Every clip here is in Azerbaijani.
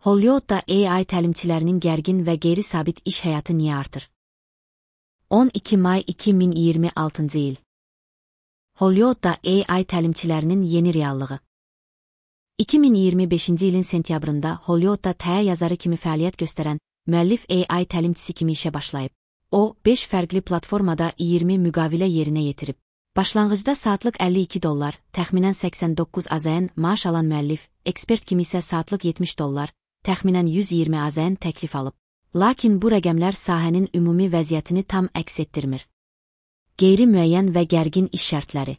Hollywoodda AI təlimçilərinin gərgin və qeyri-sabit iş həyatı niyə artır? 12 may 2026-cı il. Hollywoodda AI təlimçilərinin yeni reallığı. 2025-ci ilin sentyabrında Hollywoodda təyə yazarı kimi fəaliyyət göstərən müəllif AI təlimçisi kimi işə başlayıb. O, 5 fərqli platformada 20 müqavilə yerinə yetirib. Başlanğıcda saatlıq $52, təxminən 89 AZN maaş alan müəllif, ekspert kimi isə saatlıq $70, təxminən 120 AZN təklif alıb. Lakin bu rəqəmlər sahənin ümumi vəziyyətini tam əks etdirmir. Qeyri-müəyyən və gərgin iş şərtləri.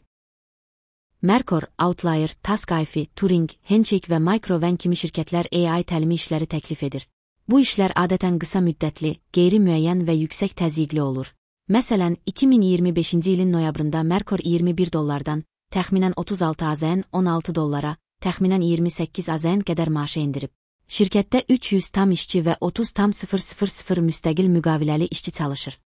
Mercor, Outlier, Taskify, Turing, Handshake və Microven kimi şirkətlər AI təlimi işləri təklif edir. Bu işlər adətən qısa müddətli, qeyri-müəyyən və yüksək təzyiqli olur. Məsələn, 2025-ci ilin noyabrında Mercor $21-dan, təxminən 36 AZN $16, təxminən 28 AZN qədər maaşa endirib. Şirkətdə 300 tam işçi və 30,000 müstəqil müqaviləli işçi çalışır.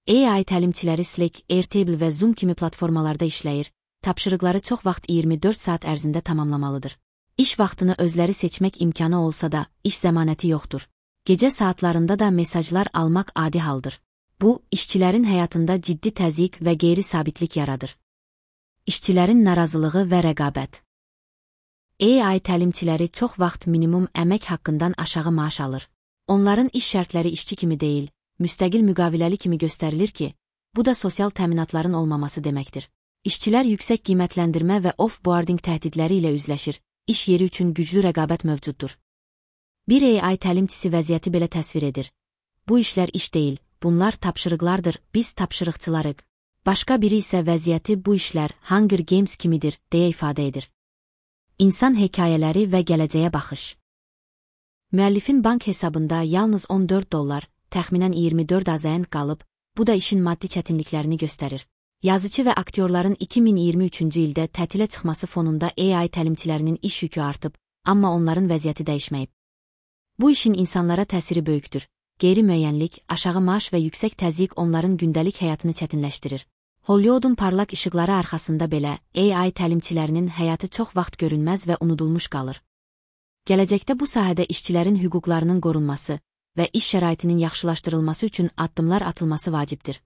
AI təlimçiləri Slack, Airtable və Zoom kimi platformalarda işləyir, tapşırıqları çox vaxt 24 saat ərzində tamamlamalıdır. İş vaxtını özləri seçmək imkanı olsa da, iş zəmanəti yoxdur. Gecə saatlarında da mesajlar almaq adi haldır. Bu, işçilərin həyatında ciddi təzyiq və qeyri-sabitlik yaradır. İşçilərin narazılığı və rəqabət. AI təlimçiləri çox vaxt minimum əmək haqqından aşağı maaş alır. Onların iş şərtləri işçi kimi deyil, müstəqil müqaviləli kimi göstərilir ki, bu da sosial təminatların olmaması deməkdir. İşçilər yüksək qiymətləndirmə və off-boarding təhdidləri ilə üzləşir, iş yeri üçün güclü rəqabət mövcuddur. Bir AI təlimçisi vəziyyəti belə təsvir edir. Bu işlər iş deyil, bunlar tapşırıqlardır, biz tapşırıqçılarıq. Başqa biri isə vəziyyəti bu işlər Hunger Games kimidir, deyə ifadə edir. İnsan hekayələri və gələcəyə baxış. Müəllifin bank hesabında yalnız $14, təxminən 24 AZN qalıb, bu da işin maddi çətinliklərini göstərir. Yazıcı və aktyorların 2023-cü ildə tətilə çıxması fonunda AI təlimçilərinin iş yükü artıb, amma onların vəziyyəti dəyişməyib. Bu işin insanlara təsiri böyükdür. Qeyri-müəyyənlik, aşağı maaş və yüksək təzyiq onların gündəlik həyatını çətinləşdirir. Hollywoodun parlaq işıqları arxasında belə, AI təlimçilərinin həyatı çox vaxt görünməz və unudulmuş qalır. Gələcəkdə bu sahədə işçilərin hüquqlarının qorunması və iş şəraitinin yaxşılaşdırılması üçün addımlar atılması vacibdir.